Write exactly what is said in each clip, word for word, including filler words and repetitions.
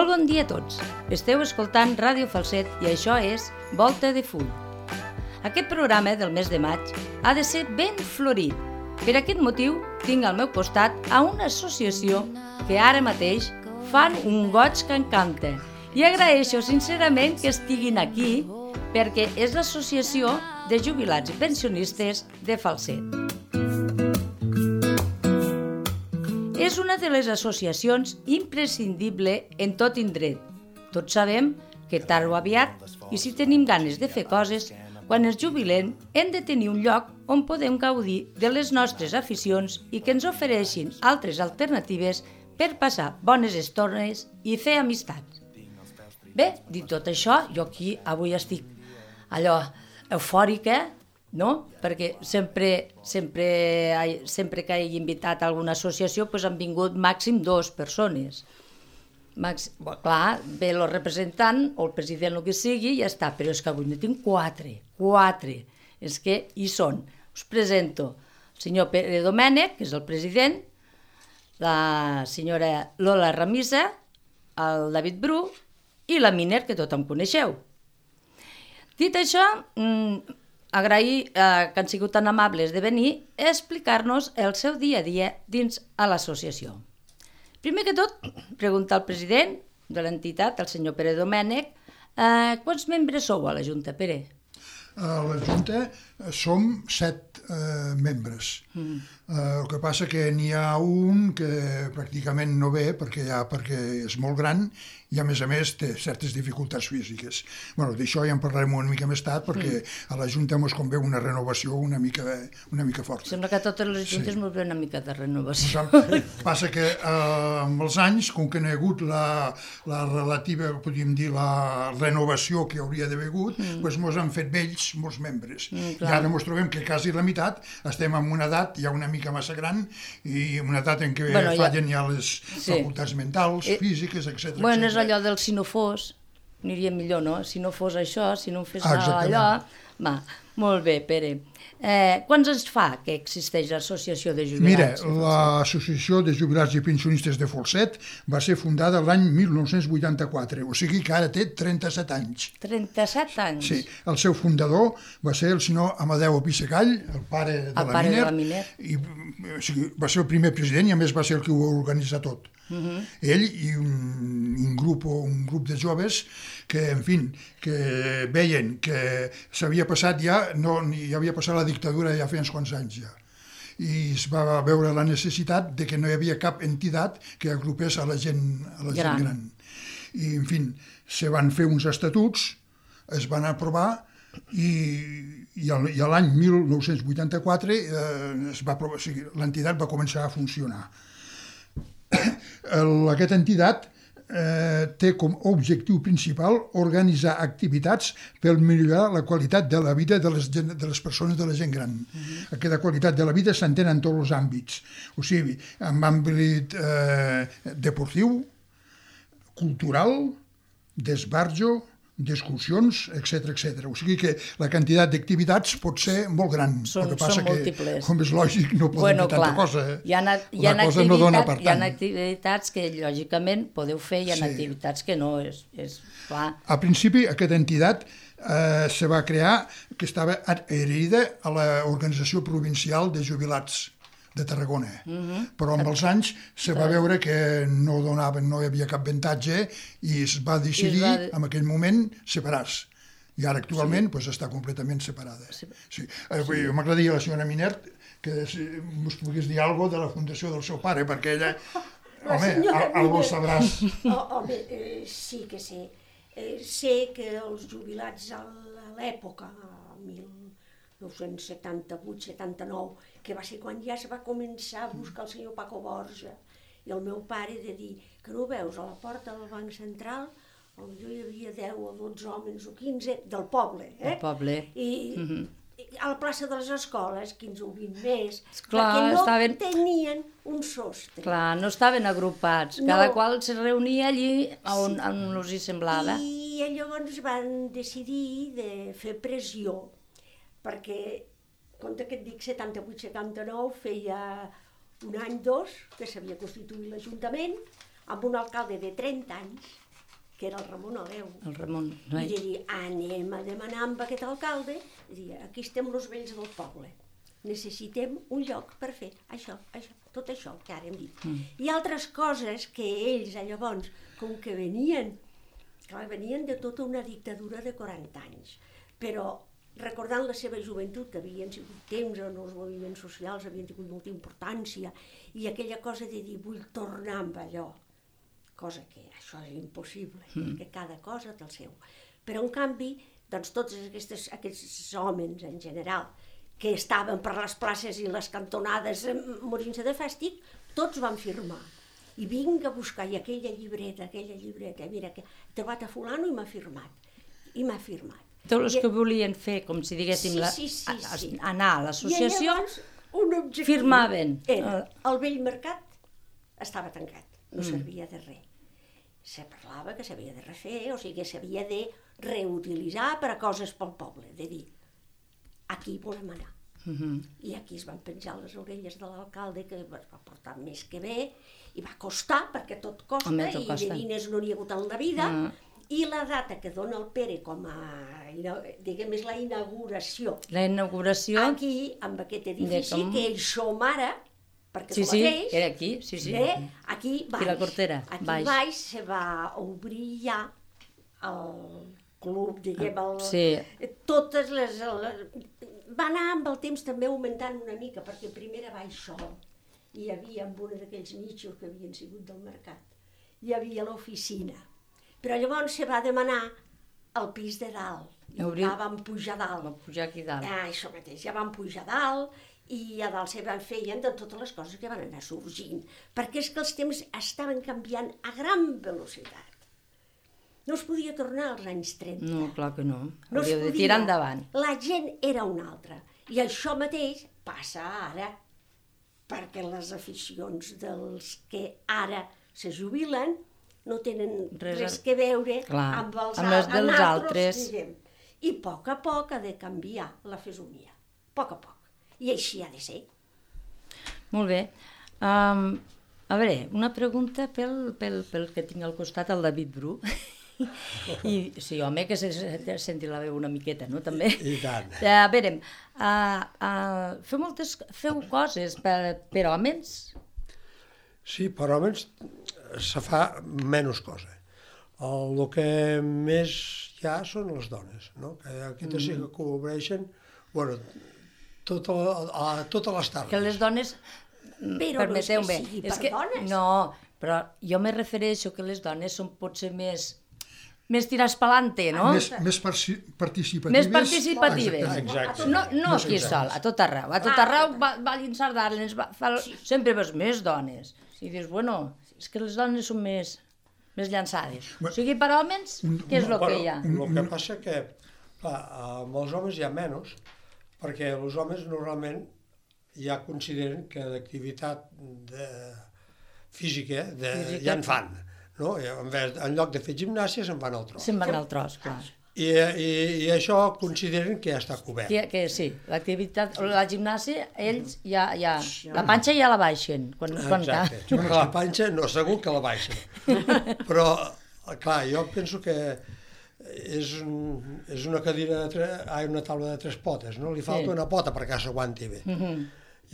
Molt bon dia a tots. Esteu escoltant Ràdio Falset i això és Volta de Full. Aquest programa del mes de maig ha de ser ben florit. Per aquest motiu tinc al meu costat a una associació que ara mateix fan un goig que encanta i agraeixo sincerament que estiguin aquí perquè és l'Associació de Jubilats i Pensionistes de Falset. És una de les associacions imprescindible en tot indret. Tots sabem que tard o aviat, i si tenim ganes de fer coses, quan ens jubilem hem de tenir un lloc on podem gaudir de les nostres aficions i que ens ofereixin altres alternatives per passar bones estones i fer amistats. Bé, dit tot això, jo aquí avui estic allò eufòrica, no? Perquè sempre, sempre, sempre que he invitat a alguna associació doncs han vingut màxim dues persones. Màxim, bo, clar, ve el representant o el president, el que sigui, i ja està, però és que avui ne tinc quatre, quatre. És que hi són. Us presento el senyor Pere Domènech, que és el president, la senyora Lola Ramisa, el David Bru i la Miner, que tothom coneixeu. Dit això, agrair eh, que han sigut tan amables de venir a explicar-nos el seu dia a dia dins a l'associació. Primer que tot, preguntar al president de l'entitat, el senyor Pere Domènech, eh, quants membres sou a la Junta, Pere? A la Junta som set eh, membres. Mm. Eh, el que passa que n'hi ha un que pràcticament no ve perquè, ja, perquè és molt gran i a més a més té certes dificultats físiques. Bueno, d'això ja en parlarem una mica més tard perquè mm. a la Junta ens convé una renovació una mica, una mica forta. Sembla que a totes les juntes sí. Ens ve una mica de renovació. Passa que eh, amb els anys, com que no hi ha hagut la, la relativa, podríem dir, la renovació que hauria d'haver hagut, mm. doncs ens han fet vells molts membres. Mm, I ara ens trobem que quasi la meitat estem en una edat ja una mica massa gran i una edat en què bueno, fallen ja, ja les sí. facultats mentals, eh, físiques, etcètera. Bueno, és allò del si no fos, aniria millor, no? Si no fos això, si no fes ah, allò... Va, molt bé, Pere. Eh, quants anys fa que existeix l'associació de jubilats? Mira, l'associació de jubilats i pensionistes de Falset va ser fundada l'any mil nou-cents vuitanta-quatre, o sigui que ara té trenta-set anys. trenta-set anys? Sí, el seu fundador va ser el senyor Amadeu Pissegall, el pare de el la pare Miner, de la Miner. I, o sigui, va ser el primer president i a més va ser el que ho va organitzar tot. Uh-huh. Ell i un, un, grup, un grup de joves que, en fi, que veien que s'havia passat ja, no, ja havia passat la dictadura ja feia uns quants anys ja. I es va veure la necessitat de que no hi havia cap entitat que agrupés a la gent, a la gent gran. gran. I, en fi, se van fer uns estatuts, es van aprovar i, i, el, i l'any mil nou-cents vuitanta-quatre eh, es va aprovar, o sigui, l'entitat va començar a funcionar. El, aquesta entitat eh, té com a objectiu principal organitzar activitats per millorar la qualitat de la vida de les, de les persones, de la gent gran. Uh-huh. Aquesta qualitat de la vida s'entén en tots els àmbits, o sigui, en àmbit eh, deportiu, cultural, d'esbarjo, d'excursions, etcètera, etcètera. O sigui que la quantitat d'activitats pot ser molt gran. Són, el que passa són múltiples. Que, com és lògic, no podem bueno, fer tanta clar, cosa. Eh? Hi ha, hi ha, la cosa no dona per tant. Hi ha activitats que, lògicament, podeu fer, hi ha sí. activitats que no, és, és clar. A principi, aquesta entitat eh, se va crear, que estava adherida a l'Organització Provincial de Jubilats de Tarragona, uh-huh. però amb els anys se va veure que no donaven, no hi havia cap avantatge i es va decidir es va... en aquell moment separar-se. I ara actualment sí. pues, està completament separada. Sí. Sí. Eh, sí. M'agradaria la senyora Miner que si us pogués dir alguna cosa de la fundació del seu pare, perquè ella, home, algo sabràs. Oh, home, eh, sí que sé. Eh, sé que els jubilats a l'època, mil nou-cents setanta-vuit setanta-nou, que va ser quan ja es va començar a buscar el senyor Paco Borja i el meu pare de dir que no veus a la porta del Banc Central, potser hi havia deu o dotze homes o quinze del poble, eh? El poble. I, uh-huh. i a la plaça de les escoles, quinze o vint més, clar, perquè no estaven... tenien un sostre. Clar, no estaven agrupats, cada no. qual se reunia allí on, on us hi semblava. I llavors van decidir de fer pressió, perquè, compte que et dic setanta-vuit setanta-nou, feia un any, dos, que s'havia constituït l'Ajuntament, amb un alcalde de trenta anys, que era el Ramon Aleu. El Ramon, no I és? de dir, anem a demanar amb aquest alcalde, i dir, aquí estem els vells del poble, necessitem un lloc per fer això, això, tot això que ara hem dit. Mm. I altres coses que ells, llavors, com que venien, clar, venien de tota una dictadura de quaranta anys, però recordant la seva joventut, que havien sigut temps on els moviments socials havien tingut molta importància, i aquella cosa de dir, vull tornar amb allò, cosa que això és impossible, mm. perquè cada cosa té el seu. Però, en canvi, doncs, tots aquestes, aquests homes, en general, que estaven per les places i les cantonades morint-se de fàstic, tots van firmar. I vinc a buscar, i aquella llibreta, aquella llibreta, mira, que he trobat a fulano i m'ha firmat. I m'ha firmat. Tots els I... que volien fer, com si diguéssim, sí, la... sí, sí, sí. anar a l'associació, un objectiu firmaven. Era, el vell mercat estava tancat, no mm. servia de res. Se parlava que s'havia de refer, o sigui que s'havia de reutilitzar per a coses pel poble, de dir, aquí volem anar. Mm-hmm. I aquí es van penjar les orelles de l'alcalde, que va portar més que bé, i va costar, perquè tot costa, Home, tot i costa. De diners no n'hi ha hagut en la vida, mm. i la data que dona el Pere com a, diguem, és la inauguració. La inauguració... Aquí, amb aquest edifici, com... que ells som ara, perquè sí, tu sí, mateix... era aquí, sí, sí. Eh? Aquí baix. I la Cortera, aquí baix. baix se va obrir ja el club, diguem, el... Sí. Totes les... les... Va anar amb el temps també augmentant una mica, perquè primer era baix sol. Hi havia amb un d'aquells nichos que havien sigut del mercat. Hi havia l'oficina. Però llavors se va demanar el pis de dalt. I Obrir... ja vam pujar dalt. Vam pujar aquí dalt. Ah, això mateix, ja vam pujar dalt i a dalt se van feien de totes les coses que van anar sorgint. Perquè és que els temps estaven canviant a gran velocitat. No es podia tornar als anys trenta. No, clar que no. No Hauríeu de tirar endavant. La gent era una altra. I això mateix passa ara, perquè les aficions dels que ara se jubilen no tenen res, res que veure clar, amb els, amb els dels altres, altres. Diguem. I a poc a poc ha de canviar la fesomia. A poc a poc. I així ha de ser. Molt bé. Um, a veure, una pregunta pel, pel, pel que tinc al costat, el David Bru. I sí, home, que se senti la veu una miqueta, no? També. I tant. A veure, uh, uh, feu moltes feu coses per, per homes? Sí, per homes se fa menys cosa. El, el que més hi ha són les dones, no? Que aquestes sí que cobreixen, bueno, tota la, a, totes les tardes. Que les dones, però permeteu-me, no és que sigui és per que, dones. no, però jo me refereixo que les dones són potser més més tirats pelante, no? Més, més participatives. Més participatives. Exacte. No, no aquí sol, a tot arreu. A tot arreu va, va Sardana, fa, sempre veus més dones. I dius, bueno, és que les dones són més, més llançades. O sigui, per homes, què és el que hi ha? El que passa que, clar, amb els homes hi ha menys, perquè els homes normalment ja consideren que d'activitat de... física, de... física ja en fan. No? En, vez, en lloc de fer gimnàsia se'n van al tros. Se'n van al tros, clar. I, i, i això consideren que ja està cobert. Que, que sí, l'activitat, la gimnàsia, ells ja, ja, la panxa ja la baixen. Quan, quan Exacte, quan la panxa no, segur que la baixen. Però, clar, jo penso que és, un, és una cadira, de tre... ah, una taula de tres potes, no? Li falta sí. una pota perquè s'aguanti bé. Mm-hmm.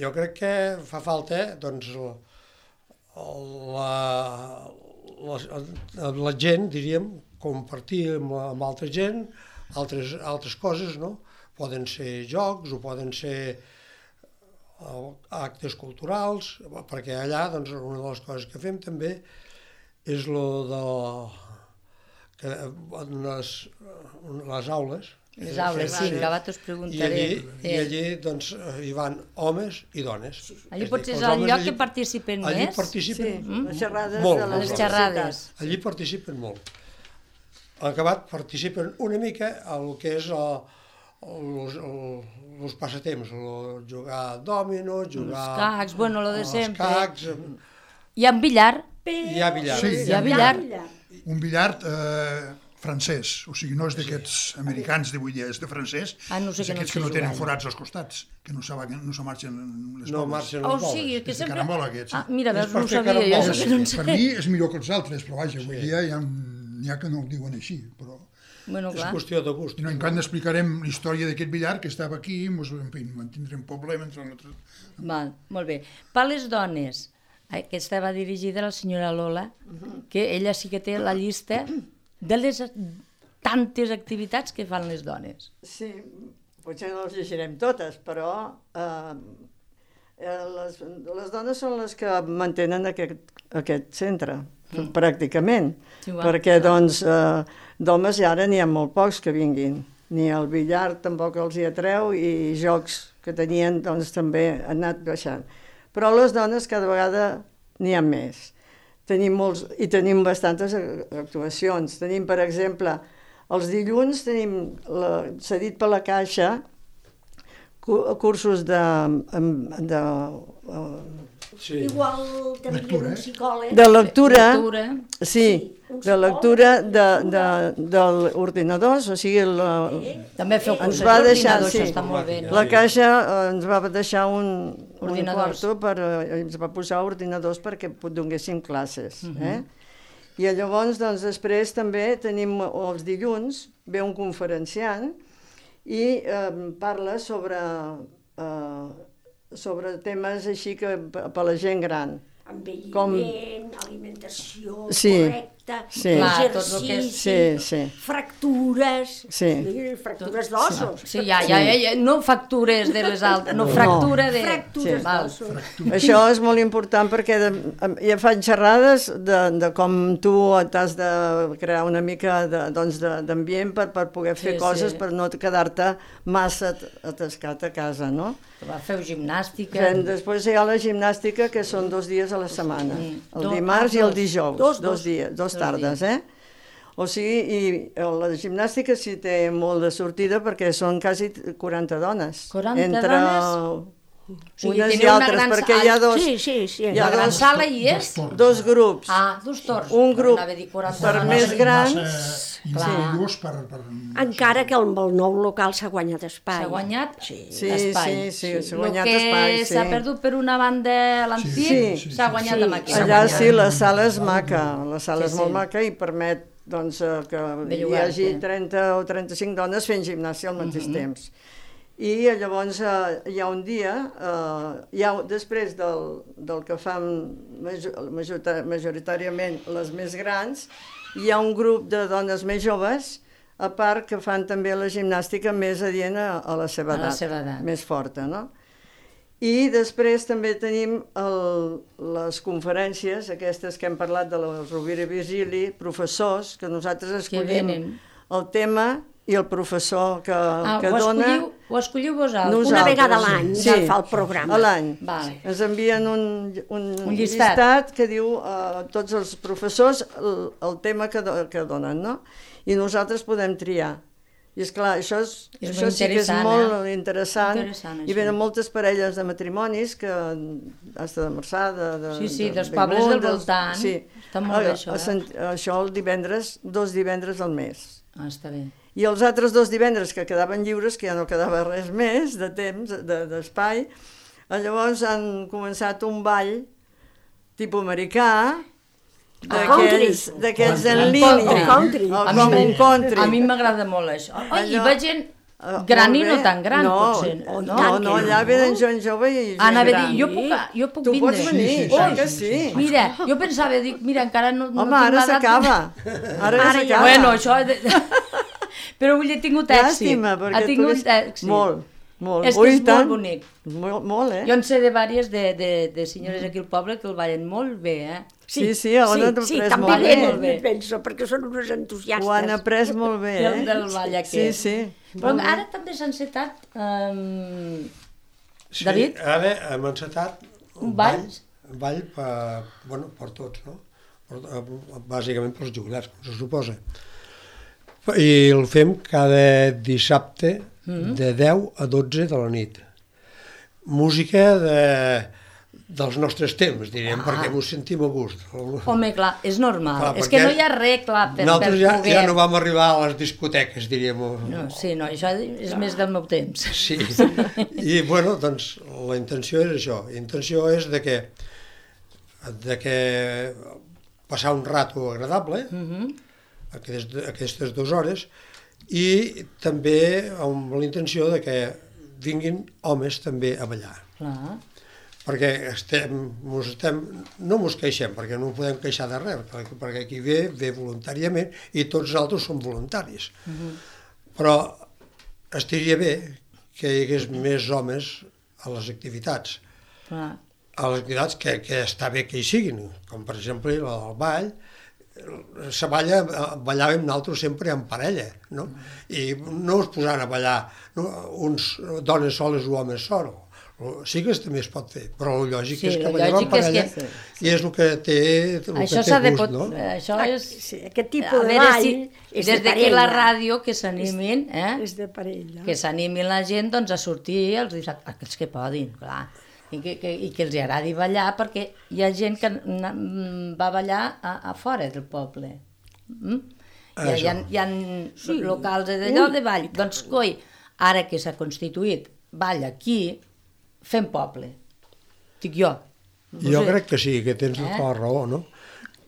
Jo crec que fa falta, doncs, la... La, la gent, diríem, compartir amb, amb altra gent altres, altres coses, no? Poden ser jocs o poden ser uh, actes culturals, perquè allà, doncs, una de les coses que fem també és lo de que en les, les aules. Les aules, sí, que abans us preguntaré. I allí, i allí doncs, hi van homes i dones. Allí potser és el lloc allí, que participen allí més? Allí participen sí. mm? les xerrades molt. De les, les xerrades. Allí participen molt. Al acabat participen una mica el que és els passatemps, el jugar a dòmino, jugar... Els cacs, bueno, lo de sempre. Els cacs... Hi ha billar? Hi ha billar. Sí, hi ha billar. Un billar... Eh... francès, o sigui, no és d'aquests americans d'avui dia, és de francès, ah, no sé és aquests que no tenen forats als costats, que no se, no se marxen les no boles. marxen les boles. Oh, sí, que és sempre... de carambola, aquests. Ah, mira, veus, no ho sabia, jo caramboles. això no en sé. Per mi és millor que els altres, però vaja, avui sí. dia hi ha n'hi ha que no ho diuen així, però... Bueno, És clar. qüestió de gust. I no, en canvi explicarem la història d'aquest billar que estava aquí, mos, en fi, mantindrem problema entre nosaltres. Val, molt bé. Per les dones, aquesta va dirigida a la senyora Lola, que ella sí que té la llista de les tantes activitats que fan les dones. Sí, potser no les llegirem totes, però eh, les, les dones són les que mantenen aquest, aquest centre, mm. pràcticament, Sí, va. perquè doncs eh, d'homes ja ara n'hi ha molt pocs que vinguin, ni el billar tampoc els hi atreu i jocs que tenien doncs també han anat baixant. Però les dones cada vegada n'hi ha més. Tenim molts, i tenim bastantes actuacions. Tenim, per exemple, els dilluns tenim la, cedit per la Caixa cursos de, de, Sí. Igual també Lectura, un eh? psicòleg. de lectura, Lectura. sí, Sí, un de lectura de, de, lectura. de l'ordinador, o sigui, la, També feu cursos va deixar, d'ordinador, sí. això està molt bé. No? la Caixa eh, ens va deixar un, un Ordinadors. quarto, per, eh, ens va posar ordinadors perquè donéssim classes. Eh? I llavors, doncs, després també tenim els dilluns, ve un conferenciant i eh, parla sobre, eh, sobre temes així que per a la gent gran. Envelliment, Com- alimentació Sí, correcta, sí. Clar, tot el que és- exercici, Sí, sí. fractures, Sí. fractures d'ossos. Sí, ja, ja, ja, ja, no factures de les altres, no, fractura de... Fractures Sí. Val. d'ossos. Això és molt important perquè de, ja fan xerrades de, de com tu t'has de crear una mica de, doncs de, d'ambient per, per poder fer Sí, coses, sí. per no quedar-te massa atascat a casa, no? Feu gimnàstica. Fem, després hi ha la gimnàstica, que són dos dies a la setmana, el Do- dimarts ah, i el dos. dijous, Dos, dos dos. dies, dos Dos tardes, eh? O sigui, i la gimnàstica sí té molt de sortida perquè són quasi quaranta dones. quaranta entre dones? O sigui, unes i teniu una altres, gran perquè sala- hi ha dos, Sí, sí, sí. hi ha La gran dos, sala hi és? dos grups. Ah, dos torns. Un grup Anava a dir quaranta per dones. més grans. Massa individuos per, per... Encara que amb el nou local s'ha guanyat espai. S'ha guanyat Sí. Sí, espai. sí, sí, s'ha guanyat El que espai, sí. s'ha perdut per una banda a l'antic, Sí, sí, s'ha sí, guanyat sí. amb aquí. S'ha Allà guanyat. sí, la sala és maca, la sala Sí, és molt sí. maca i permet doncs, eh, que hi llogar-te. hagi trenta o trenta-cinc dones fent gimnàsia al mateix temps. I llavors eh, hi ha un dia, eh, hi ha, després del, del que fan major, major, majoritàriament les més grans, hi ha un grup de dones més joves, a part que fan també la gimnàstica més adient a, a la seva A la edat, seva edat. més forta, no? I després també tenim el, les conferències, aquestes que hem parlat de la Rovira i Virgili, professors, que nosaltres escollim venen. el tema i el professor que, Ah, que ho, dona... escolliu, ho escolliu vosaltres? Nosaltres. Una vegada a l'any Sí. ja fa el programa. A l'any. Vale. Ens envien un, un, Un llistat. que diu a tots els professors el, el tema que, do, que donen, no? I nosaltres podem triar. I és clar, això, és, És això molt sí que és interessant, molt eh? interessant. Interessant, I això. venen moltes parelles de matrimonis que hasta de Marçà, de, de, Sí, sí, de dels Bellmunt, pobles del dels- voltant. Sí. Està molt bé, A- això, a eh? Sant- Això el divendres, dos divendres al mes. Ah, està bé. I els altres dos divendres que quedaven lliures, que ja no quedava res més de temps, de- d'espai, de, llavors han començat un ball tipus americà, d'aquests country. d'aquests en El línia. country. O A com mi- un country. A mi m'agrada molt això. Ai, hi Allò- va gent Ah, gran molt i no bé. tan gran, no, potser. No, No? no, no, allà venen gent jove i gent Ah, anava a gran. dir, jo puc, jo puc Tu vindre. pots venir, Sí, sí, sí, sí, que sí, sí. Mira, jo pensava, dic, mira, encara no, no Home, tinc ara l'edat. s'acaba. Ara ja Ara ja- s'acaba. Bueno, això... De... Però vull dir, he tingut èxit. Llàstima, Ha perquè tu tingut eres... èxit. Molt, molt. És que Ui, és molt tant. bonic. Molt, molt, eh? Jo en sé de vàries de, de, de senyores aquí al poble que el ballen molt bé, eh? Sí, sí, on han sí, après també molt bé. venen, Molt bé. penso, perquè són uns entusiastes. Ho han après molt bé, Del, eh? del ball Sí, aquest. sí. Però Molt bé. ara també s'ha encetat... Um... Sí, David? ara hem encetat Un ball? Un ball per, bueno, per tots, no? Per, bàsicament pels jubilats, com se suposa. I el fem cada dissabte de deu a dotze de la nit. Música de, dels nostres temps, diríem, Ah. perquè ens sentim a gust. Home, clar, és normal. Clar, és que perquè no hi ha res, clar, per, per Nosaltres ja, poder... ja no vam arribar a les discoteques, diríem. No, sí, no, això és més del meu temps. Sí, i bueno, doncs la intenció és això, la intenció és de que, de que passar un rato agradable, Mhm. aquest, aquestes dues hores, i també amb la intenció de que vinguin homes també a ballar. Clar. Perquè estem, mos estem, no mos queixem, perquè no podem queixar de res, perquè, perquè qui ve, ve voluntàriament i tots els altres són voluntaris. Uh-huh. Però estaria bé que hi hagués més homes a les activitats. Clar. A les activitats que, que està bé que hi siguin, com per exemple el ball, se balla, ballàvem nosaltres sempre en parella, no? I no es posaran a ballar no? uns dones soles o homes sols. Sí que també es pot fer, però el lògic sí, és que ballem en parella és que... i és el que té, el això que té de gust, pot... no? Això és... Sí, aquest tipus de ball si... és des de d'aquí la parella. ràdio que s'animin, eh? És de parella. Que s'animin la gent doncs, a sortir els dissabtes, aquells que podin, clar, i que, que, i que els agradi ballar, perquè hi ha gent que va ballar a, a fora del poble. Mm? Hi, hi, ha, hi ha sí. locals d'allò de ball. Doncs, coi, ara que s'ha constituït ball aquí, fem poble. Dic jo. No jo sé. Crec que sí, que tens eh? tota la raó, no?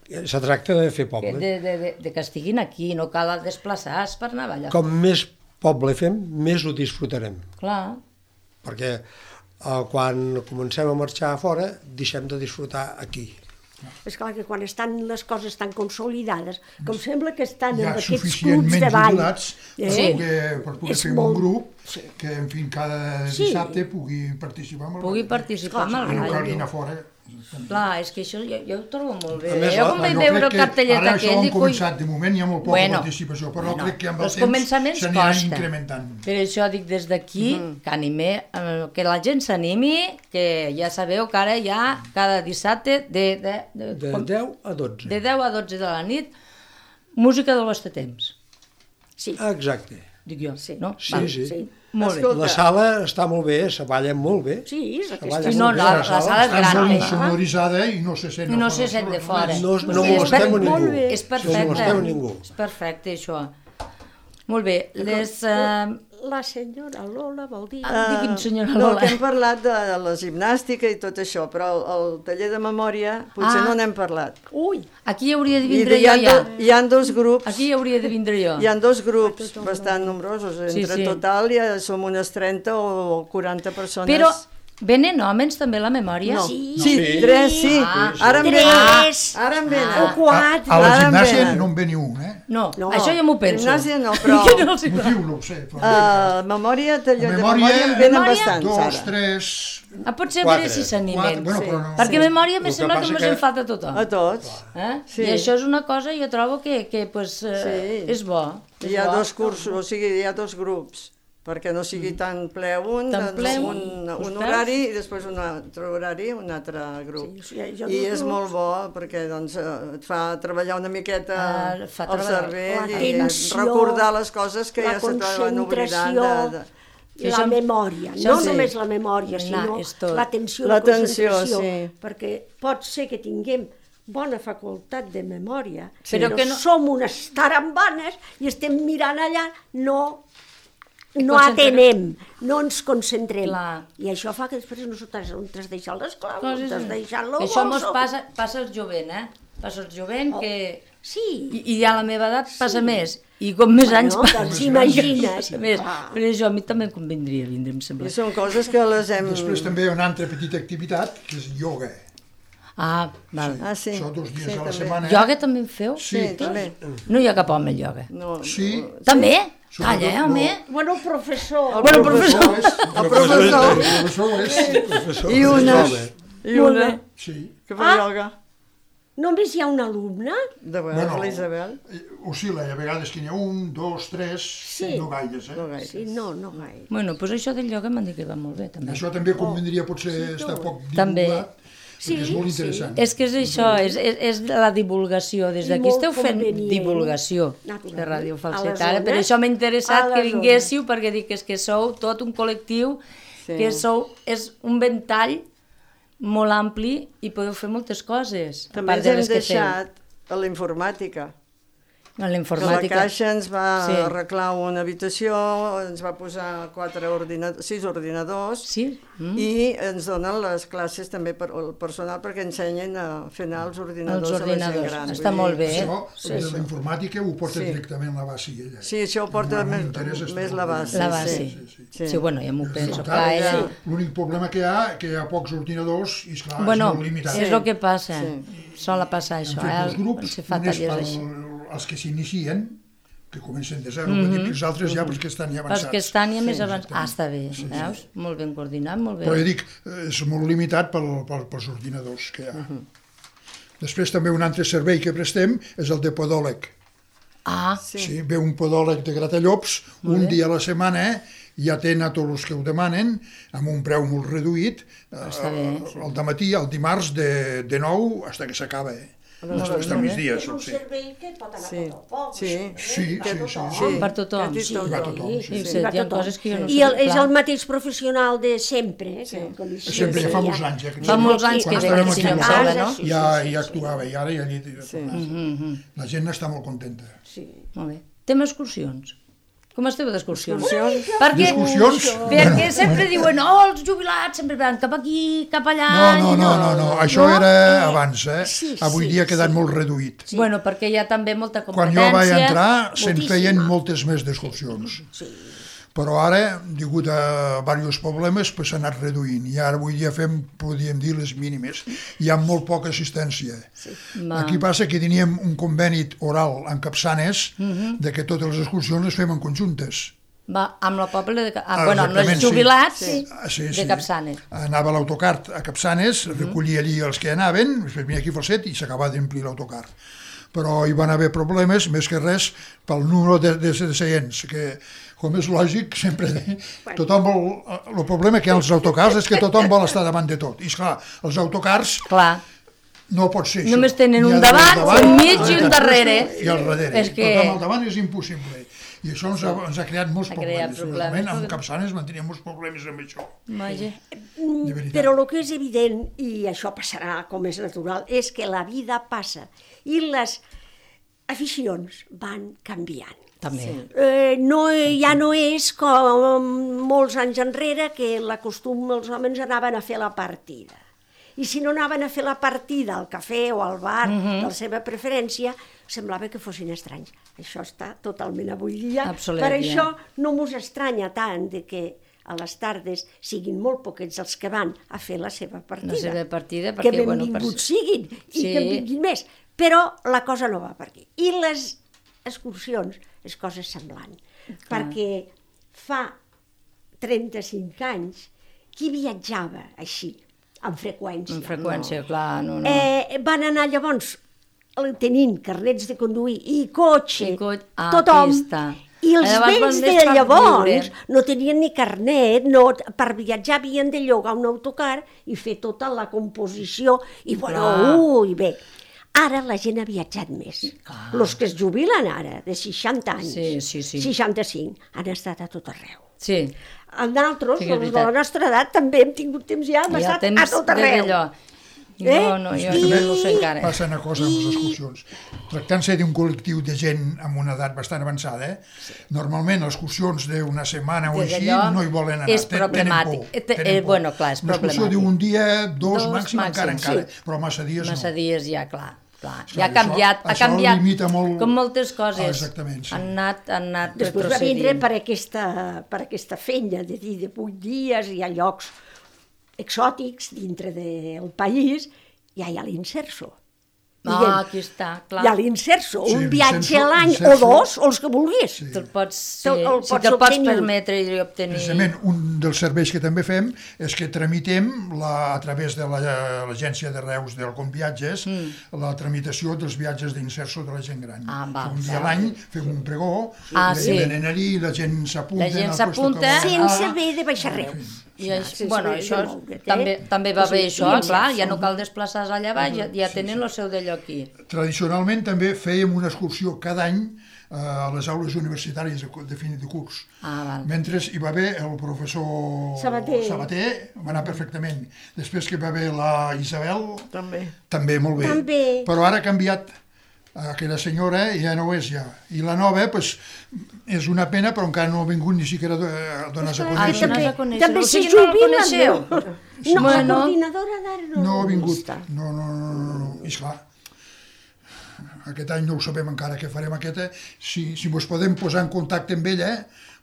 Se tracta de fer poble. De, de, de, de que estiguin aquí, no cal desplaçar-se per anar a ballar. Com més poble fem, més ho disfrutarem. Clar. Perquè eh, quan comencem a marxar a fora, deixem de disfrutar aquí. És clar que quan estan les coses tan consolidades, com sembla que estan en aquests clubs de ball... Hi ha suficientment jubilats per poder, per poder fer molt... un grup sí. que, en fi, cada sí. dissabte pugui participar amb el Pugui participar amb el ball. No calgui anar fora. Clar, és que això jo, jo ho trobo molt bé. Més, jo quan vaig veure el cartellet aquell... Ara això han començat, de moment hi ha molt poca bueno, participació, però bueno, crec que amb el temps s'aniran incrementant. Per això dic des d'aquí mm. que animé, que la gent s'animi, que ja sabeu que ara hi ha cada dissabte de, de, de, de com, deu a dotze. De deu a dotze de la nit, música del vostre temps. Sí. Exacte. Dic jo, sí. no? Sí, Va, sí. sí. Molt bé. La sala està molt bé, se balla molt bé. Sí, és aquesta. Sí, no, no, la, la sala és gran. Està molt sonoritzada i no se sent, I no se sent de fora. No, no molestem a ningú. És perfecte. No molestem a ningú. És perfecte, això. Molt bé, les... Uh... La senyora Lola vol dir... Uh, Digui'm, senyora no, Lola. que hem parlat de la gimnàstica i tot això, però el, el taller de memòria potser ah. no n'hem parlat. Ui! Aquí hauria de vindre I jo ja. Do, hi ha dos grups... Aquí hauria de vindre jo. Hi ha dos grups bastant nombrosos. Entre sí, sí. total ja som unes trenta o quaranta persones. Però venen homes també a la memòria? No. Sí. sí, tres, sí. Ah, ara en venen. Ara en venen. O quatre. A, a la gimnàsia no en ve ni un, eh? No, no, això ja m'ho penso. Gimnàsia no, però... no motiu no ho sé. Però... Uh, memòria, taller de memòria en venen bastants, dos, ara. tres... Ah, potser a veure si s'animen. Bueno, sí. no... Perquè sí. memòria me sembla que, que ens en falta a tothom. A tots. Eh? Sí. I això és una cosa, jo trobo que, que pues, eh, sí. és bo. És hi ha bo. dos cursos, o sigui, hi ha dos grups, perquè no sigui tan ple un, tan ple un, un, un horari i després un altre horari, un altre grup. Sí, sí, I és molt bo perquè doncs, et fa treballar una miqueta uh, el cervell i tensió, recordar les coses que ja se t'han oblidat. De, de... I la memòria, no sí. només la memòria, sinó l'atenció i la concentració, sí. perquè pot ser que tinguem bona facultat de memòria, sí. però que no... som unes tarambanes i estem mirant allà, no... no atenem, no ens concentrem. Clar. I això fa que després nosaltres on t'has deixat les claus, on t'has deixat el Això mos passa, passa al jovent, eh? Passa al jovent oh. que... Sí. I, I a la meva edat passa sí. més. I com més bueno, anys passa, doncs imagines. Més. Però això a mi també em convindria vindre, em sembla. I són coses que les hem... Després també una altra petita activitat, que és ioga. Ah, val. Sí. Ah, sí. Això dos dies sí, a la també. setmana. Ioga també en feu? Sí, sí també. No hi ha cap home al ioga. No, sí. No, també? Sí. Calla, eh, home. No. Bueno, el professor. El bueno, professor. És, el professor. El professor és. Professor. I una. I una. Sí. Que fa ah. ioga. Només hi ha un alumne? De vegades, bueno, l'Isabel. Oscil·la, a vegades que n'hi ha un, dos, tres, sí. no gaires, eh? No gaires. Sí, no, no gaire. Bueno, doncs això del ioga m'han dit que va molt bé, també. Això també convindria potser oh, estar poc divulgat, també. Sí, és molt interessant. Sí. És que és això, és, és, és la divulgació. Des d'aquí esteu fent divulgació de Ràdio Falset. Ara, per això m'ha interessat que vinguéssiu, perquè dic que, és que sou tot un col·lectiu, sí. que sou, és un ventall molt ampli i podeu fer moltes coses. També ens hem deixat a la informàtica. A que la l'informàtica. Caixa ens va Sí. arreglar una habitació, ens va posar quatre ordinadors, sis ordinadors, Sí? Mm. i ens donen les classes també per el personal perquè ensenyen a fer anar els ordinadors, Els ordinadors. a la gent gran. Està Vull molt dir, bé. Això, sí, de sí. la informàtica, ho porta Sí. directament la base. Ella. Sí, això ho porta No, no més, m'interessa, està més molt la bé. base. La base. Sí, sí, Sí, bueno, ja m'ho penso. Clar, Clar, ella... sí. L'únic problema que hi ha, que hi ha pocs ordinadors i, esclar, Bueno, és molt limitat. és el que passa. Sí. Sola passar això, Hem fet eh? dos grups, Quan se fa un és tallers per així. els que s'inicien, que comencen de zero, mm -hmm. i els altres ja perquè estan ja avançats. Els que estan ja més Sí, avançats. Ah, està bé, veus? Molt ben coordinat, molt bé. Però ja dic, és molt limitat pel, pel, pels ordinadors que hi ha. Després també un altre servei que prestem és el de podòleg. Ah, Sí. Sí, ve un podòleg de Gratallops, un dia a la setmana, i atén a tots els que ho demanen, amb un preu molt reduït, Està bé. al dematí, el dimarts, de, de nou fins que s'acaba. Eh? Fins fins a migdia, És sol un ser. servei que pot anar Sí. a tot el poble. Sí. eh? Sí, Va a sí, tothom. sí, sí. Per tothom. Sí, Sí, va a tothom, sí. Sí, sí, sí, va a hi ha tothom. coses que jo no I sé, el, és clar. el mateix professional de sempre, eh? Sí. Que, que li- Sempre, ja fa sí, molts anys, eh, que Fa no- molts anys que quan ve estàvem aquest aquí senyor, em al sembla, Palau, no? Sí, ja, sí, ja sí, actuava, i ara ja hi Sí. La gent està molt contenta. Sí. Molt bé. Tema excursions. Com esteu d'excursions? Excursions? Perquè, D'excursions? perquè sempre diuen, oh, els jubilats sempre van cap aquí, cap allà... No, no, i no, no, no, això No, era eh, abans, eh? sí, Avui sí, dia ha quedat sí. molt reduït. Bueno, perquè hi ha també molta Quan competència. jo vaig entrar se'n moltíssima. feien moltes més d'excursions. Sí. Però ara, degut a diversos problemes, pues, s'ha anat reduint. I ara avui dia fem, podríem dir, les mínimes. Hi ha molt poca assistència. Va. Aquí passa que teníem un conveni oral amb Capçanes Mhm. de que totes les excursions les fem en conjuntes. Va, amb el poble de... Ah, Ah, bueno, amb els exactament, sí. jubilats Sí. Ah, sí, de sí. Capçanes. Anava l'autocar a Capçanes, Mhm. recollia allí els que anaven, després venia aquí a Falset i s'acabava d'omplir l'autocar. Però hi van haver problemes, més que res, pel número de, de, de seients, que, com és lògic, sempre tothom vol... El problema que hi ha als autocars és que tothom vol estar davant de tot. I, esclar, els autocars Clar, no pot ser això. només tenen N'hi ha un dos davant, un mig i un darrere. I al darrere. És que- Tothom al davant és impossible. I això ens ha, ens ha creat molts Ha creat problemes. problemes. Realment, amb Capçanes en teníem molts problemes amb això. vaja. De veritat. Però el que és evident, i això passarà com és natural, és que la vida passa i les aficions van canviant. També. Sí. Eh, no, ja no és com molts anys enrere que la costum els homes anaven a fer la partida. I si no anaven a fer la partida al cafè o al bar Mhm. de la seva preferència, semblava que fossin estranys. Això està totalment avui dia. Obsolet, Per ja. això no mos estranya tant de que a les tardes siguin molt poquets els que van a fer la seva partida. La seva partida, que perquè, bueno, benvinguts per- siguin i Sí. que en vinguin més. Però la cosa no va per aquí. I les excursions és cosa semblant. Perquè fa trenta-cinc anys qui viatjava així, amb freqüència? Amb freqüència, clar, no, no. Eh, van anar llavors tenint carnets de conduir i cotxe, I co- ah, tothom, aquí està. i els Llavors van vells més de per llavors viure. no tenien ni carnet, no, per viatjar havien de llogar un autocar i fer tota la composició, i bueno, Clar. ui, bé. Ara la gent ha viatjat més. Els que es jubilen ara, de seixanta anys, Sí, sí, sí. seixanta-cinc, han estat a tot arreu. Sí, Nosaltres, Sí que és els de veritat. la nostra edat, també hem tingut temps ja, hem hi ha estat a temps tot de arreu. d'allò. Eh? No, no, jo I- no ho sé encara. Passa una cosa amb les excursions. Tractant-se d'un col·lectiu de gent amb una edat bastant avançada, eh? normalment les excursions d'una setmana o Des així d'allò no hi volen anar. és Ten- tenen problemàtic. por, Eh, te- tenen eh, por. bueno, clar, és Una excursió problemàtic. d'un dia, dos, Dos màxim, encara, màxim, encara. sí. Però massa dies Massa no. dies ja, clar. clar. Esclar, Ja ha això- canviat, ha això canviat, limita molt- com moltes coses. Ah, exactament, sí. Han anat, han anat Després va vindre retrocedint. per aquesta, per aquesta fenya de dir de vuit dies, hi ha llocs exòtics dintre del país, ja hi ha l'inserso. Ah, Diguem, aquí està, clar. hi ha l'inserso, Sí, un viatge l'inserso- a l'any o l'inserso- dos, o els que vulguis. Sí. Te'l pots, sí, Te'l- el si pots te'l pots obtenir. permetre i obtenir... Precisament, un dels serveis que també fem és que tramitem la, a través de la- l'agència de Reus del Conviatges mm. la tramitació dels viatges d'inserso de la gent gran. Ah, val, un dia a val. l'any fem un pregó, Ah, ve- sí. venen allí, la gent s'apunta... La gent en el puesto s'apunta. que vol Sense anar. haver de baixar Reus. I això, sense bueno, haver de això moure't, eh? també, també va O sigui, bé això, i clar, inserso. ja no cal desplaçar-se allà baix, ja, ja tenen el seu d'allò aquí. Tradicionalment també fèiem una excursió cada any eh, a les aules universitàries de, de fin de curs. Ah, val. Mentre hi va haver el professor Sabater. Sabater, va anar perfectament. Després que hi va haver la Isabel, També. també molt bé. També. Però ara ha canviat aquella senyora ja no ho és ja. I la nova, doncs, és una pena, però encara no ha vingut ni siquiera a donar-se a Ah, conèixer. també, a conèixer. també O se sigui, no la jubilen. coneixeu? No, la Bueno. coordinadora d'ara no, No ha vingut. està. No, no, no, no, no. I esclar, aquest any no ho sabem encara què farem aquesta. Si, si vos podem posar en contacte amb ella,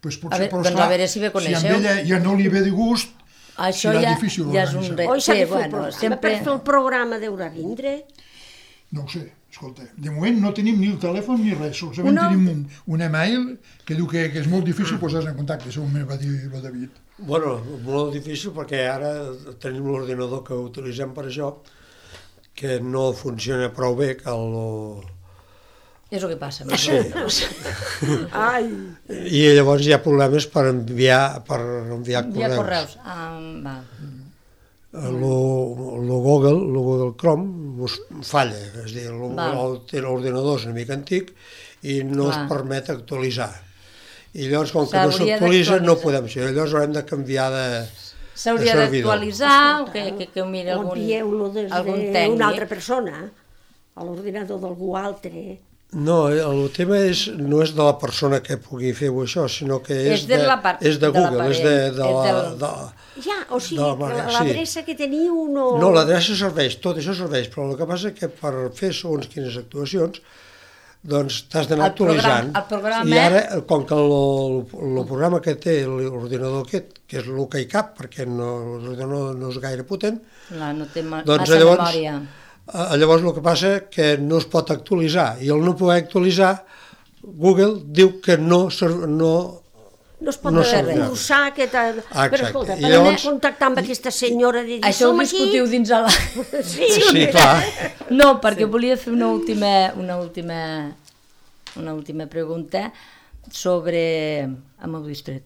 doncs potser, A veure, però doncs esclar, a veure si bé si coneixeu. amb ella ja no li ve de gust, Això serà ja, difícil ja és un... organitzar. Re... Oi, s'ha Sí, de fer el bueno, programa. sempre... Per fer el programa deurà vindre. no ho sé, escolta, de moment no tenim ni el telèfon ni res, solament Una- tenim un, un email que diu que, que és molt difícil posar-se en contacte, segons va dir el David. Bueno, molt difícil perquè ara tenim l'ordinador que utilitzem per això, que no funciona prou bé, que el... És el que passa. Sí. Ai, I llavors hi ha problemes per enviar, per enviar Hi ha correus. correus. Ah, va. El Google, el Google Chrome us falla, és a dir, lo- Val. el- té l'ordinador és una mica antic i no Clar. es permet actualitzar. I llavors, com que no S'hauria s'actualitza, no d'actualitzar. podem ser. Llavors haurem de canviar de, S'hauria de servidor. d'actualitzar o que, que, que ho miri o algun, envieu-lo des algun tècnic. d'una altra persona, a l'ordinador d'algú altre. No, el tema és, no és de la persona que pugui fer-ho això, sinó que és, És de la part- és de de Google, és de, de, l'aparell, la, és del- de, Ja, o sigui, De la que mare, sí. l'adreça que teniu no... No, l'adreça serveix, tot això serveix, però el que passa és que per fer segons quines actuacions doncs t'has d'anar El programa- actualitzant. el programa- I ara, com que el, el programa que té l'ordinador aquest, que és el que hi cap, perquè no, l'ordinador no és gaire potent, Clar, no té ma doncs massa llavors, memòria. eh, llavors el que passa que no es pot actualitzar, i el no poder actualitzar, Google diu que no, ser- no No es pot no no servirà. cursar aquesta... Ah, Però exacte. escolta, I per llavors- anar a contactar amb aquesta senyora de dir, Això ho som aquí... discutiu dins a la... Sí, Sí, clar. No, perquè sí. volia fer una última, una última, una última pregunta sobre... Ah, m'heu distret.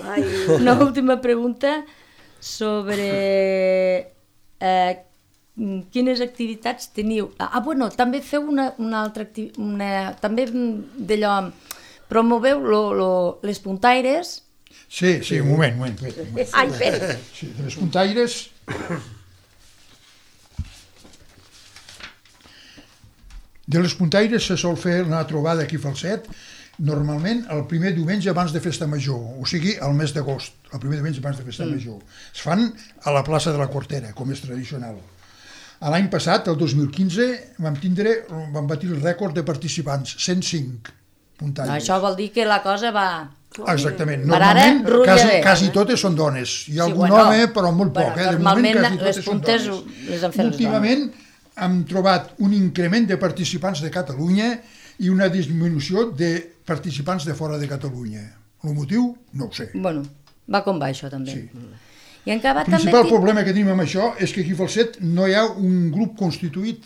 Ai, Una última pregunta sobre eh, quines activitats teniu. Ah, bueno, també feu una, una altra activitat, també d'allò, promoveu lo, lo, les puntaires. Sí, sí, un moment, un moment. un moment. ai, espera. Sí, de les puntaires... De les puntaires se sol fer una trobada aquí a Falset, normalment el primer diumenge abans de Festa Major, o sigui, el mes d'agost, el primer diumenge abans de Festa mm. Major. Es fan a la plaça de la Cortera, com és tradicional. L'any passat, el dos mil quinze, vam tindre, vam batir el rècord de participants, cent cinc puntaires. Això vol dir que la cosa va... Exactament. Per ara, Normalment, rutlla quasi, bé. quasi totes són dones. Hi ha Sí, algun bueno, home, però molt bueno, poc. Eh? De normalment moment, quasi les totes són puntes dones. les han fet les Últimament hem trobat un increment de participants de Catalunya i una disminució de participants de fora de Catalunya. El motiu? No ho sé. Bueno, va com va això també. Sí. I en Cava El també... principal tinc- problema que tenim amb això és que aquí a Falset no hi ha un grup constituït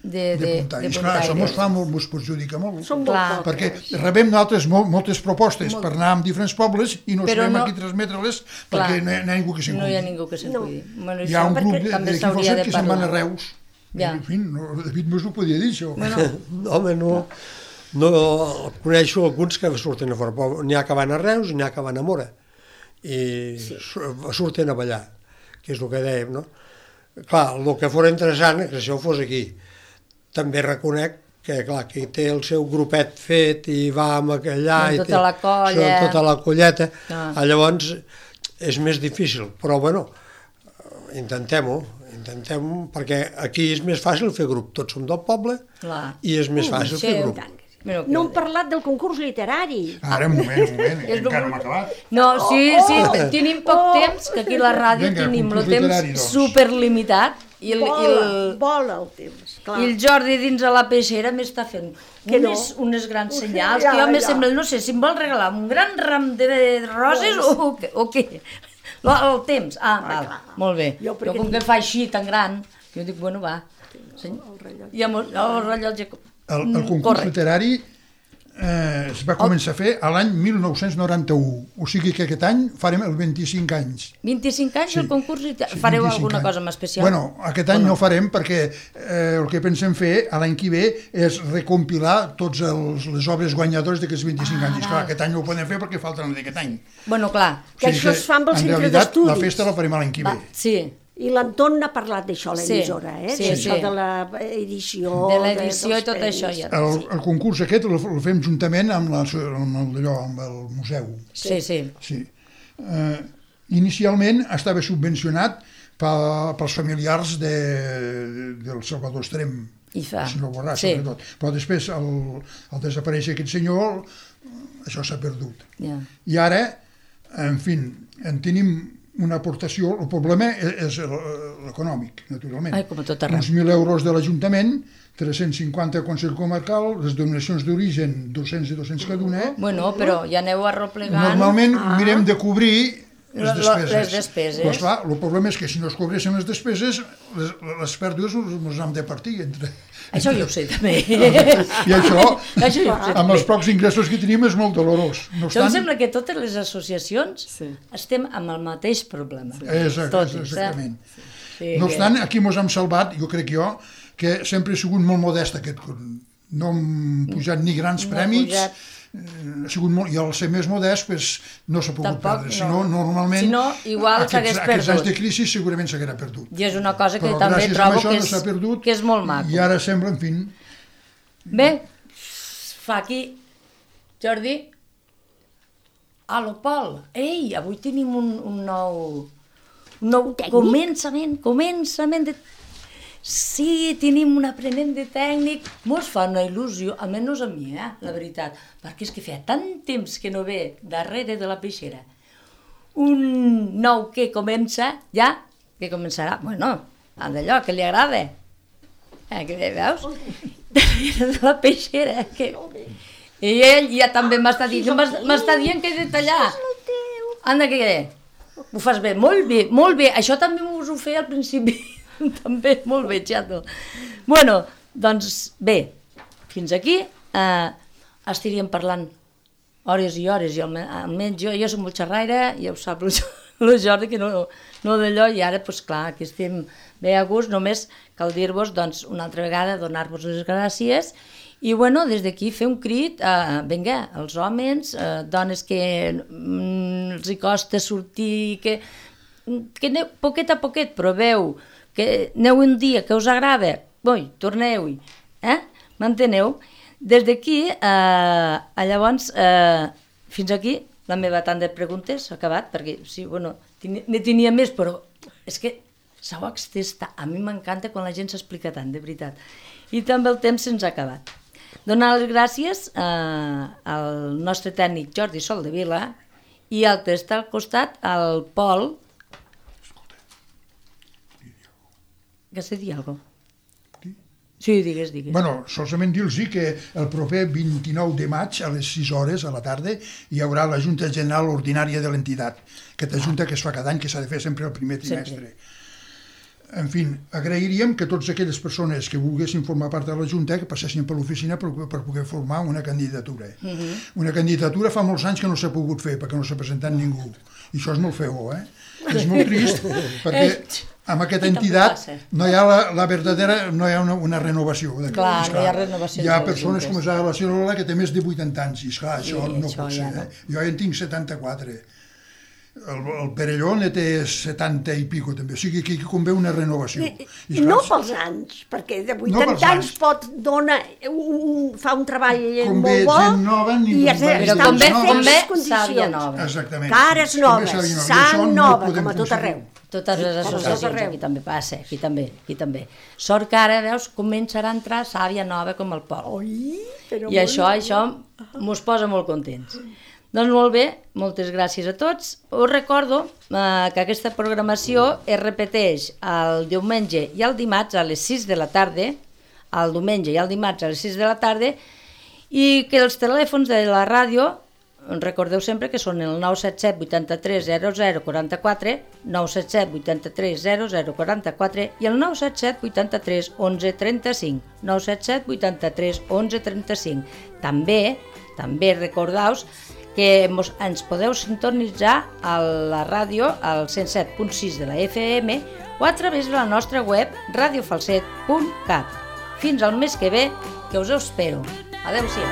de, de de, de puntaires. Clar, això puntaires. ens fa molt, ens perjudica molt. Som molt Clar. pocs. Perquè rebem nosaltres molt, moltes propostes Molt. per anar a diferents pobles i no Però sabem no- a qui transmetre-les Clar. perquè no hi ha, no hi ha ningú que se'n No hi ha cuidi. ningú que se'n No. cuidi. Bueno, Hi ha un això grup de- també d'aquí a s'hauria Falset de que se'n van a parlar. Reus. Ja. En fi, no, David Mas ho podia dir, això. Bueno, Home, no, no coneixo alguns que surten a fora, però n'hi ha que van a Reus i n'hi ha que van a Mora i sí. surten a ballar, que és el que dèiem, no? Clar, el que fos interessant és que això fos aquí. També reconec que, clar, que té el seu grupet fet i va amb allà... Amb i tota té, la colla. Tota la colleta, Ah. llavors és més difícil, però bueno, intentem-ho, intentem perquè aquí és més fàcil fer grup, tots som del poble clar. i és més fàcil sí, fer grup. tant. Mira, No hem parlat del concurs literari. Ara, un moment, un moment, És encara no m'ha acabat. No, sí, sí, Oh! tenim poc Oh! temps, que aquí a la ràdio Vinga, tenim el concurs temps literari, doncs. superlimitat i el, i Vola, el, vola el temps, clar. i el Jordi dins a la peixera m'està fent Que no. unes, unes grans Uf, senyals ja, que jo me ja. sembla, no sé, si em vol regalar un gran ram de roses o, o, què- o què? El, el temps, ah, val, clar. molt bé. Jo Jo, perquè com tinc- que fa així tan gran, jo dic, bueno, va. Seny... I amb el, el rellotge... El, el Mm, concurs corre. literari eh, es va començar a fer a l'any mil nou-cents noranta-u, o sigui que aquest any farem els vint-i-cinc anys. vint-i-cinc anys Sí. el concurs literari. Sí, Fareu vint-i-cinc alguna anys. cosa més especial? Bueno, aquest any no? no farem perquè eh, el que pensem fer a l'any que ve és recompilar tots els, les obres guanyadores d'aquests vint-i-cinc Ah, anys. I, clar, val. aquest any no ho podem fer perquè falten d'aquest any. Bueno, clar, Que això es fa amb el en centre realitat, d'estudis. la festa la farem a l'any que ve. va, sí. I l'Anton n'ha parlat d'això a l'emissora, eh? Sí, D'això sí. de l'edició... De l'edició i tot això. Ja. El, el concurs aquest el, el fem juntament amb, la, amb, el, allò, amb el museu. Sí, sí. Sí. Uh, inicialment estava subvencionat pa, pels familiars de, del Salvador Estrem, I fa. el senyor Borràs, Sí. sobretot. Però després, al, al desaparèixer aquest senyor, això s'ha perdut. Ja. I ara, en fi, en tenim una aportació, el problema és l'econòmic, naturalment. Ai, com a tot arreu. Uns mil euros de l'Ajuntament, tres-cents cinquanta al Consell Comarcal, les donacions d'origen, dos-cents i dos-cents cada una. Bueno, però ja aneu arroplegant. Normalment ah. mirem de cobrir les Lo- lo- despeses. les despeses. Però, esclar, el problema és que si no es cobressin les despeses, les, les pèrdues les hem de partir entre... Això jo ho sé, també. I això, Això jo ho sé. amb els pocs ingressos que tenim, és molt dolorós. No Això em obstant, sembla que totes les associacions Sí. estem amb el mateix problema. Exacte, Totes, exactament. eh? Sí, No que- obstant, aquí mos hem salvat, jo crec jo, que sempre he sigut molt modest aquest curs. No hem pujat ni grans No ha prèmits, pujat. eh, ha sigut molt, i al ser més modest pues, no s'ha pogut Tampoc, perdre. no. Si no, normalment, Si no, igual aquests, s'hagués aquests anys perdut. de crisi segurament s'haguera perdut. I és una cosa que Però també gràcies a trobo això que no és, s'ha perdut, que és molt maco. I ara sembla, en fi, Bé, fa aquí, Jordi. Aló, Pol. Ei, avui tenim un, un nou... Un nou tècnic? començament, començament de... Sí, tenim un aprenent de tècnic. Mos fa una il·lusió, almenys a mi, eh, la veritat, perquè és que feia tant temps que no ve darrere de la peixera un nou que comença, ja, que començarà, bueno, d'allò que li agrada. Eh, que veus? Darrere de la peixera, que... I ell ja també m'està dient, m'es- m'està dient que he de tallar. Anda, que ho fas bé, molt bé, molt bé. Això també us ho feia al principi, també, molt bé, xato. Bueno, doncs bé, fins aquí eh, estaríem parlant hores i hores, i alme- almenys jo, jo soc molt xerraire, ja ho sap el Jo- el Jordi, que no, no d'allò, i ara, doncs clar, que estem bé a gust, només cal dir-vos, doncs, una altra vegada, donar-vos les gràcies, i bueno, des d'aquí fer un crit, eh, vinga, els homes, eh, dones que mm, els hi costa sortir, que, que aneu poquet a poquet, proveu, que aneu un dia que us agrada, ui, torneu-hi, eh? M'enteneu? Des d'aquí, eh, llavors, eh, fins aquí, la meva tant de preguntes s'ha acabat, perquè sí, bueno, tenia- ne tenia més, però és que s'ha extès tant. A mi m'encanta quan la gent s'explica tant, de veritat. I també el temps se'ns ha acabat. Donar les gràcies eh, al nostre tècnic Jordi Soldevila i al que està al costat, el Pol. Que se dir alguna cosa? Sí, digues, digues. bueno, solament dir-los que el proper vint-i-nou de maig a les sis hores a la tarda hi haurà la Junta General Ordinària de l'entitat, aquesta junta que es fa cada any, que s'ha de fer sempre el primer trimestre. Sempre. En fi, agrairíem que totes aquelles persones que volguessin formar part de la Junta que passessin per l'oficina per, per poder formar una candidatura. Uh -huh. Una candidatura fa molts anys que no s'ha pogut fer perquè no s'ha presentat ningú. I això és molt feo, eh? És molt trist perquè amb aquesta entitat no hi ha la, la verdadera, no hi ha una, una renovació. Clar, no hi ha renovació Hi ha de les persones juntes. com és la Cirola que té més de vuitanta anys i esclar, això Sí, no això pot ja ser. no. Eh? Jo ja en tinc setanta-quatre. El, el Perelló ne té setanta i pico també, o sigui que aquí convé una renovació. I, esclar, No pels anys, perquè de pels vuitanta anys anys. pot donar, un, fa un treball Convé molt bo gent nova, ni i es, convé Però està en convé, noves convé perfectes sàvia condicions. nova. Exactament. Cares Convé noves, saber nova. I sang això no ho nova, podem com a tot aconseguir. arreu. Totes les Com a tot associacions, arreu. aquí també passa, aquí també, aquí també. Sort que ara, veus, començarà a entrar sàvia nova com el Pol. Oi, però I això, això mos posa molt contents. Doncs molt bé, moltes gràcies a tots. Us recordo eh, que aquesta programació es repeteix el diumenge i el dimarts a les sis de la tarda, el diumenge i el dimarts a les sis de la tarda, i que els telèfons de la ràdio, recordeu sempre que són el nou set set vuitanta-tres zero zero quaranta-quatre, nou set set vuitanta-tres zero zero quaranta-quatre i el nou set set vuitanta-tres onze trenta-cinc, nou set set vuitanta-tres onze trenta-cinc. També, també recordeu que mos, ens podeu sintonitzar a la ràdio al cent set punt sis de la F M o a través de la nostra web radio falset punt cat. Fins al mes que ve, que us ho espero. Adéu-siau.